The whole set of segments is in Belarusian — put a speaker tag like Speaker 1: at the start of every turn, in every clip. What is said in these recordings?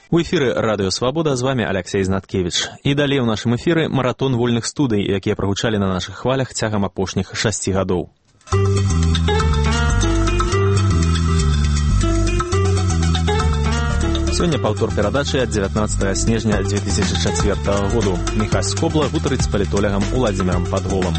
Speaker 1: У эфіры Радыё Свабода, з вами Алексей Знаткевич. І далей у нашым эфіры маратон вольных студый, якія прагучалі на нашых хвалях цягам апошніх 6 гадоў. Сёння паўтор перадачы ад 19 снежня 2004 году. Міхась Скобла гутарыць з палітолягам Уладзімірам Падголам.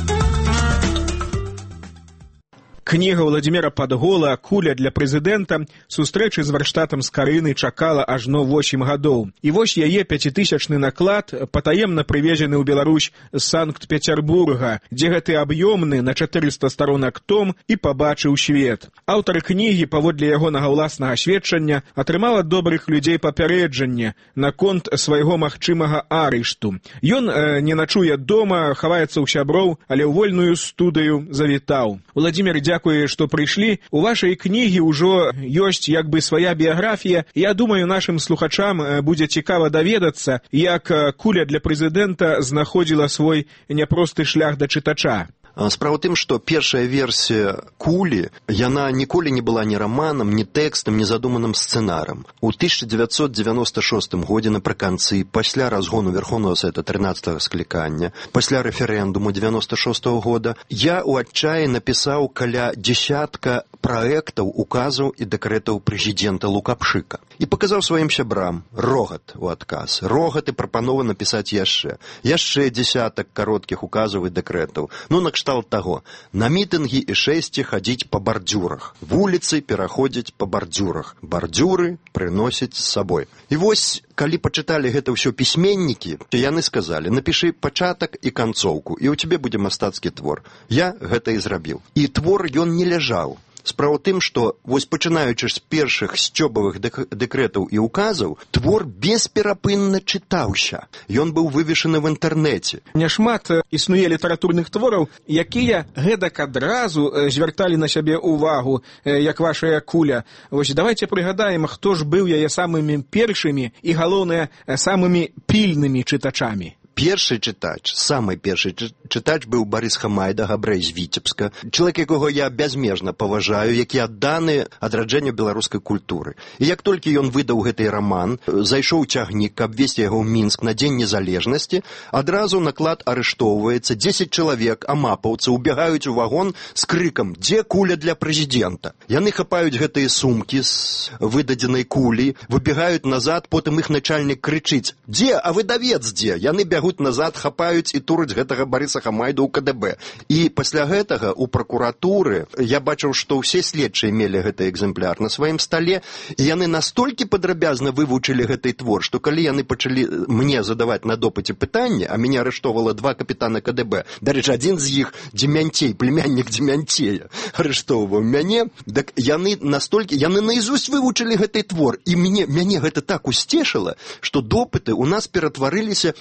Speaker 2: Кніга Уладзіміра Падгола «Куля для прэзідэнта» сустрэчы з варштатам Скарыны чакала ажно 8 гадоў. І вось яе 5000-ны наклад патаемна прывезены ў Беларусь з Санкт-Петербурга, дзе гэты аб'ёмны на 400 старонак том і пабачыў свет. Аўтар кнігі, паводле ягонага ўласнага сведчання, атрымала добрых людзей папярэджанне наконт свайго магчымага арышту. Ён не начуе дома, хаваецца ў сяброў, але ў вольную студыю завітаў. Уладзімір, дзякуе, што прыйшлі. У вашай кнігі ўжо ёсць як бы свая біяграфія. Я думаю, нашым слухачам будзе цікава даведацца, як «Куля для прэзідэнта» знаходзіла свой няпросты шлях да чытача.
Speaker 3: Справа ў тым, што першая версія «Кулі», яна ніколі не была ні раманам, ні тэкстам, ні задуманым сцэнарам. У 1996 годзе напрыканцы, пасля разгону Верховного Совета 13-го склікання, пасля рэферэндуму 96-го года, я ў адчаі напісаў каля десятка праектаў, указаў і дэкрэтаў прэзідэнта Лукашыка. І паказаў сваім сябрам рогат у адказ. Рогат і прапанова напісаць яшчэ. Яшчэ десятак кароткіх указаў і дэкрэтаў. Ну, накшталт таго. На мітынгі і шэсці хадзіць па бардзюрах. Вуліцы пераходзяць па бардзюрах. Бардзюры прыносяць з сабой. І вось, калі пачыталі гэта ўсё пісьменнікі, то яны сказалі, напішы пачатак і канцоўку, і ў цябе будзе мастацкі твор. Я гэта і зрабіў. І твор ён не ляжаў. Справа ў тым, што вось пачынаючы з першых сцёбавых дэкрэтаў і указаў, твор бесперапынна чытаўся. Ён быў вывешаны в інтэрнэце.
Speaker 2: Няшмат існуе літаратурных твораў, якія гэтак адразу звярталі на сябе ўвагу, як вашая «Куля». Вось давайте прыгадаем, хто ж быў яе самымі першымі і, галоўнае, самымі пільнымі чытачамі.
Speaker 3: Першы чытач, самы першы чытач быў Барыс Хамайда, габрэй з Віцебска, чалавек, якога я бязмежна паважаю, які адданы адраджэнню беларускай культуры. І як толькі ён выдаў гэты раман, зайшоў цягнік, каб весці яго ў Мінск на Дзень незалежнасці, адразу наклад арыштоўваецца, 10 чалавек, амапаўцы, убягаюць у вагон з крыкам «Дзе куля для прэзідэнта?». Яны хапаюць гэтыя сумкі з выдадзенай кулі, выбегаюць назад, потым іх начальнік крычыць «Дзе? А выдавец дзе?». Яны бягуць назад, хапаюць і тураць гэтага Барыса Хамайду ў КДБ. І пасля гэтага ў пракуратуры я бачыў, што ўсе следчыя мелі гэты экземпляр на сваім стале, і яны настолькі падрабязна вывучылі гэты твор, што калі яны пачалі мне задаваць на допыце пытанне, а мяне арыштоўвала 2 капітана КДБ, дарэчы, адзін з іх Дземянцей, племяннік Дземянцея, арыштоўваў мяне, так яны настолькі, яны наізусть вывучылі гэты твор, і мяне гэта так усцешыла, што допыты ў нас ператварыліся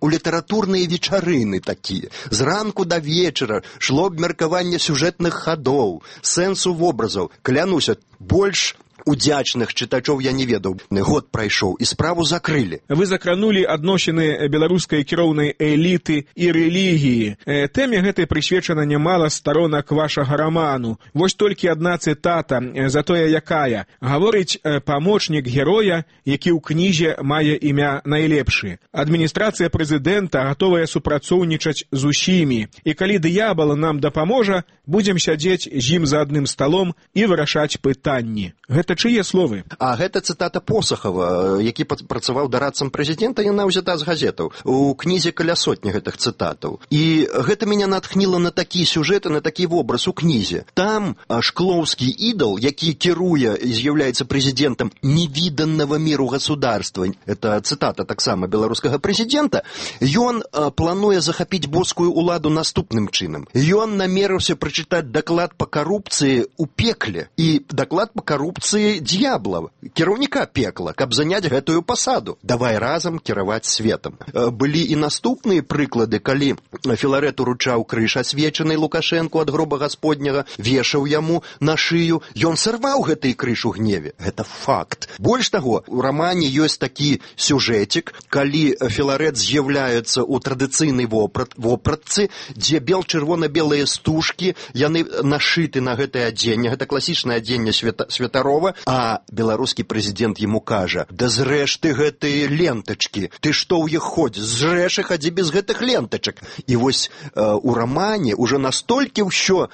Speaker 3: у літаратурныя вечарыны такія. Зранку да вечара шло абмеркаванне сюжэтных хадоў, сэнсу вобразаў. Клянуся, больш удзячных чытачоў я не ведаў. Год прайшоў, і справу закрылі.
Speaker 2: Вы закранулі адносіны беларускай кіроўнай эліты і рэлігіі. Тэме гэтай прысвечана нямала старонак вашага раману. Вось толькі адна цытата, затое якая. Гаворыць памочнік героя, які ў кнізе мае імя найлепшы. Адміністрацыя прэзідэнта гатовая супрацоўнічаць з усімі. І калі д'ябал нам дапаможа, будзем сядзець з ім за адным сталом і вырашаць пытанні. Гэта чые словы?
Speaker 3: А гэта цытата Посахава, які працаваў дарадцам прэзідэнта, яна ўзята з газетаў. У кнізе каля сотні гэтых цытатаў. І гэта мяне натхніла на такі сюжэт, на такі вобраз у кнізе. Там шклоўскі ідал, які кіруе і з'яўляецца прэзідэнтам невіданнага міру государства, это цытата таксама беларускага прэзідэнта, ён плануе захапіць боскую ўладу наступным чынам. Ён намерыўся прачытаць даклад па карупцыі ў пекле. І даклад па карупцыі д'ябла, кіраўніка пекла, каб заняць гэтую пасаду. Давай разам кіраваць светам. Былі і наступныя прыклады, калі Філарэт уручаў крыж асвечанай Лукашэнку ад гроба гасподняга, вешаў яму на шыю, ён сарваў гэты крыж у гневе. Гэта факт. Больш таго, у рамане ёсць такі сюжэтик, калі Філарэт з'яўляецца ў традыцыйнай вопратцы, дзе бел-чырвона-белыя стужкі, яны нашыты на гэтае адзенне, гэта класічнае адзенне Святарова, нічога, а беларускі прэзідэнт яму кажа: да зрэш ты гэтыя лентачкі, ты што ў іх ходзіш, зрэш і хадзі без гэтых лентачак. І вось у рамане ўжо настолькі ўсё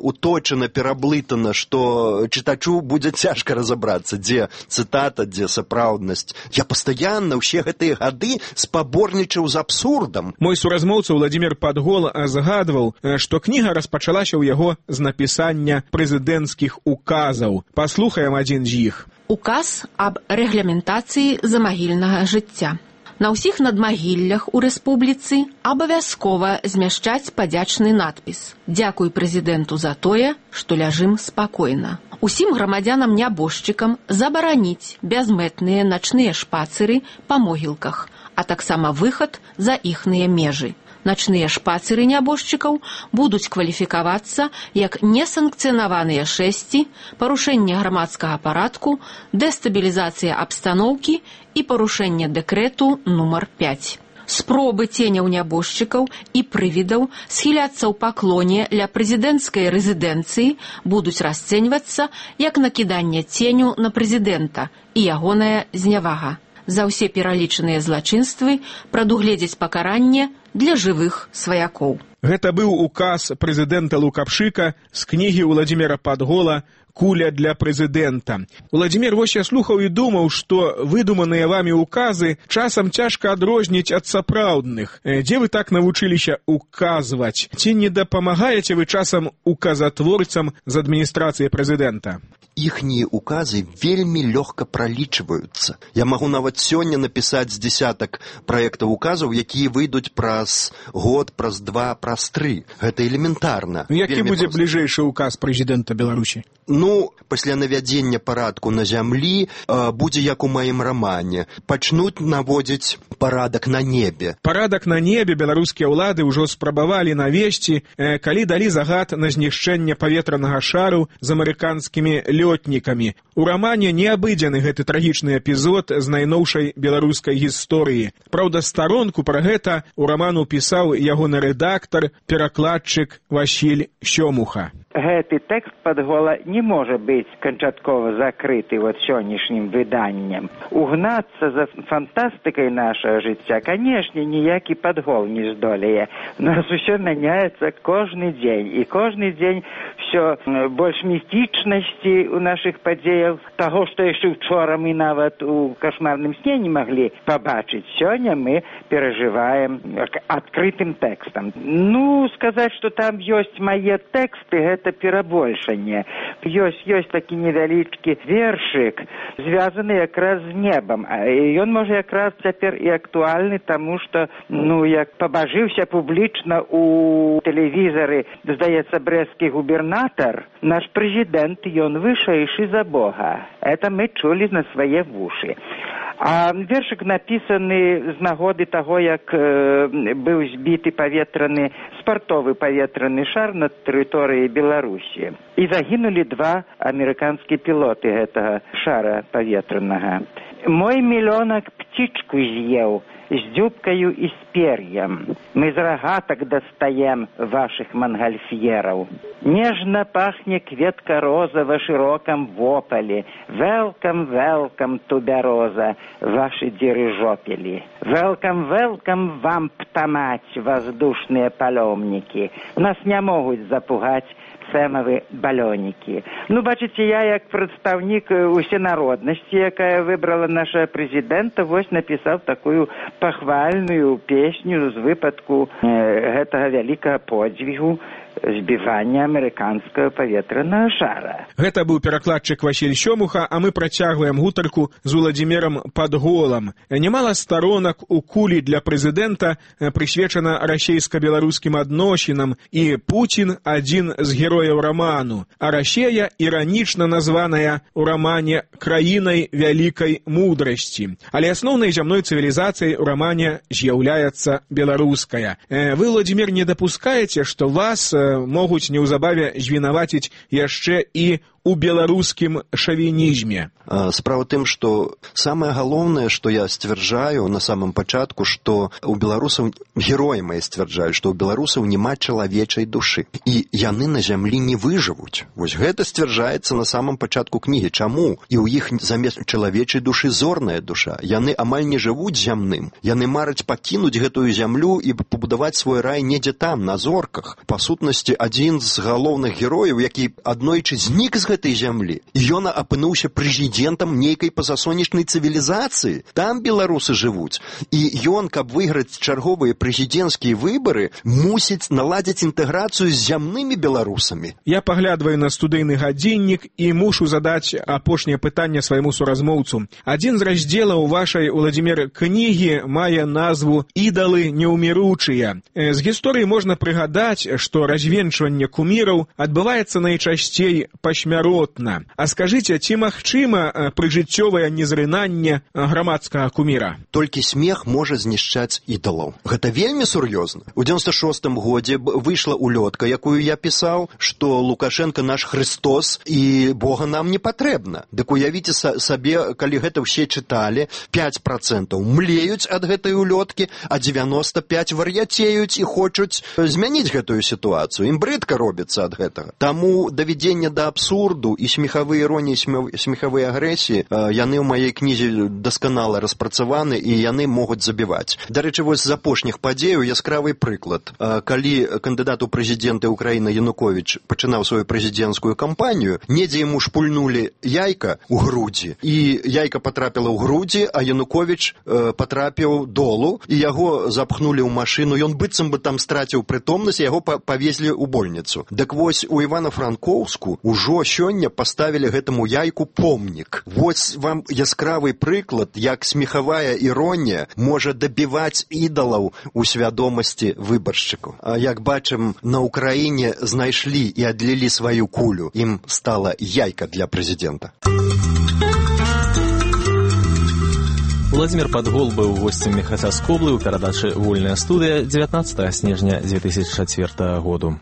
Speaker 3: уточана, пераблытана, што чытачу будзе цяжка разабрацца, дзе цытата, дзе сапраўднасць. Я пастаянна ўсе гэтыя гады спаборнічаў з абсурдам.
Speaker 2: Мой суразмоўца Владимир Падгол згадваў, што кніга распачалася ў яго з напісання прэзідэнцкіх указаў. Паслухаем адзін з іх.
Speaker 4: Указ аб рэгламентацыі замагільнага жыцця. На ўсіх надмагіллях у рэспубліцы абавязкова змяшчаць падзячны надпіс: «Дзякуй прэзідэнту за тое, што ляжым спакойна». Усім грамадзянам-нябожчыкам забараніць бязмэтныя начныя шпацыры па могілках, а таксама выхад за іхныя межы. Начныя шпацыры нябожчыкаў будуць кваліфікавацца як несанкцыянаваныя шэсці, парушэнне грамадскага парадку, дэстабілізацыя абстаноўкі і парушэнне дэкрэту нумар 5. Спробы ценяў нябожчыкаў і прывідаў схіляцца ў паклоне ля прэзідэнцкай рэзідэнцыі будуць расцэньвацца як накіданне ценю на прэзідэнта і ягоная знявага. За ўсе пералічаныя злачынствы прадугледзець пакаранне для жывых сваякоў.
Speaker 2: Гэта быў указ прэзідэнта Лукашыка з кнігі Владимира Падгола «Куля для прэзідэнта». Владимир, вось я слухаў і думаў, што выдуманыя вамі указы часам цяжка адрозніць ад сапраўдных. Дзе вы так навучыліся указваць? Ці не дапамагаеце вы часам указатворцам з адміністрацыі прэзідэнта?
Speaker 3: Іхнія указы вельмі лёгка пралічваюцца. Я магу нават сёння напісаць з дзесятак праектаў указаў, якія выйдуць праз год, праз 2, праз 3. Гэта элементарна.
Speaker 2: Які будзе бліжэйшы указ прэзідэнта Беларусі?
Speaker 3: Пасля навядзення парадку на зямлі будзе як у маім рамане. Пачнуць наводзіць парадак на небе.
Speaker 2: Парадак на небе беларускія ўлады ўжо спрабавалі навесці, калі далі загад на знішчэнне паветранага шару з амерыканскімі лётнікамі. У рамане не абыдзены гэты трагічны эпізод з найноўшай беларускай гісторыі. Праўда, старонку пра гэта у раману пісаў ягоны рэдактар, перакладчык Васіль Сёмуха.
Speaker 5: Гэты тэкст Падгола не можа быць канчаткова закрыты сённяшнім выданнем. Угнацца за фантастыкай нашага жыцця, канешне, ніякі Падгол не здолее. У нас усё мяняецца кожны дзень, і кожны дзень всё больш містычнасці у нашых падзеях, таго, што яшчэ учора мы нават у кашмарным сне не маглі пабачыць. Сёння мы перажываем адкрытым тэкстам. Сказаць, што там ёсць мае тэксты, гэта перабольшанне. Ёсць такі невялічкі вершык, звязаны якраз з небам. Ён можа якраз цяпер і актуальны, таму што, як пабажыўся публічна у тэлевізары, здаецца, брэсцкі губернатар, наш прэзідэнт, ён вышэйшы за Бога. Это мы чулі на свае вушы. А вершык напісаны з нагоды таго, як быў збіты спартовы паветраны шар на тэрыторыі Беларусі. І загінулі 2 амерыканскія пілоты гэтага шара паветранага. Мой мільёнак птічку з'еў з дзюбкаю і з пер'ем. Мы з рагатак дастаем вашых мангальфьераў. Нежна пахне кветка роза ва шырокам вопалі. Welcome, welcome, тубяроза, ваши дирижопели. Welcome, welcome вам, птамаць, воздушныя палёмнікі. Нас не могуць запугаць сэмавы балёнікі. Бачыце, я як прадстаўнік усенароднасці, якая выбрала нашага прэзідэнта, вось напісаў такую пахвальную песню з выпадку гэтага вялікага подзвігу збівання амерыканскага паветранага шара.
Speaker 2: Гэта быў перакладчык Васіль Сёмуха, а мы працягваем гутарку з Владимиром Падголам. Нямала сторонак у кулі для прэзідэнта прысвечана расейска-беларускім адносінам, і Пуцін адзін з герояў раману, а Расія іранічна названая у рамане краінай вялікай мудрасці. Але асноўнай зямной цывілізацыяй у рамане з'яўляецца беларуская. Вы, Владимир, не дапускаеце, што вас могуць неўзабаве звінаваціць яшчэ і у беларускім шавінізме?
Speaker 3: Справа тым, што самае галоўнае, што я сцвярджаю на самым пачатку, што у беларусаў, героі мае сцвярджаюць, што ў беларусаў няма чалавечай душы. І яны на зямлі не выжывуць. Вось гэта сцвярджаецца на самым пачатку кнігі. Чаму? І ў іх замест чалавечай душы зорная душа. Яны амаль не жывуць зямным. Яны мараць пакінуць гэтую зямлю і пабудаваць свой рай недзе там, на зорках. Па сутнасці, адзін з галоўных герояў, які аднойчы знік з гэтай зямлі, і ён апынуўся прэзідэнтам нейкай пазасонечнай цывілізацыі. Там беларусы жывуць. І ён, каб выйграць чарговыя прэзідэнцкія выбары, мусіць наладзіць інтэграцыю з зямнымі беларусамі.
Speaker 2: Я паглядваю на студыйны гадзіннік і мушу задаць апошняе пытанне свайму суразмоўцу. Адзін з раздзелаў вашай, Уладзімір, кнігі мае назву «Ідалы неўміручыя». З гісторыі можна прыгадаць, што развенчванне куміраў адбываецца найчасцей пасмяротна. А скажыце, ці магчыма прыжыццёвае незрынанне грамадскага куміра?
Speaker 3: Толькі смех можа знішчаць ідалаў. Гэта вельмі сур'ёзна. У 96-м годзе выйшла улётка, якую я пісаў, што Лукашенко наш Христос і Бога нам не патрэбна. Дык уявіце сабе, калі гэта ўсе чыталі, 5% млеюць ад гэтай улёткі, а 95% вар'яцеюць і хочуць змяніць гэтую сітуацыю. Ім брыдка робіцца ад гэтага. Таму давядзенне да абсурду і смехавыя іроніі, смехавыя агрэсіі, яны ў маёй кнізе дасканала распрацаваны і яны могуць забіваць. Дарэчы, вось з апошніх падзеяў яскравы прыклад. Калі кандыдат у прэзідэнты Украіны Януковіч пачынаў сваю прэзідэнцкую кампанію, недзе яму шпульнулі яйка ў грудзі, і яйка патрапіла ў грудзі, а Януковіч патрапіў долу, і яго запхнулі ў машыну, ён быццам бы там страціў прытомнасць, яго павезлі ў больніцу. Дык вось у Івана-Франкоўску ўжо сёння паставілі гэтаму яйку помнік. Вось вам яскравы прыклад, як смехавая іронія можа дабіваць ідалаў у свядомасці выбаршчыкаў. А як бачым, на Украіне знайшлі і адлілі сваю кулю. Ім стала яйка для прэзідэнта.
Speaker 1: Владзімір Падгол быў госцем Мехаця Скоблы ў перадачы «Вольная студыя» 19 снежня 2004 году.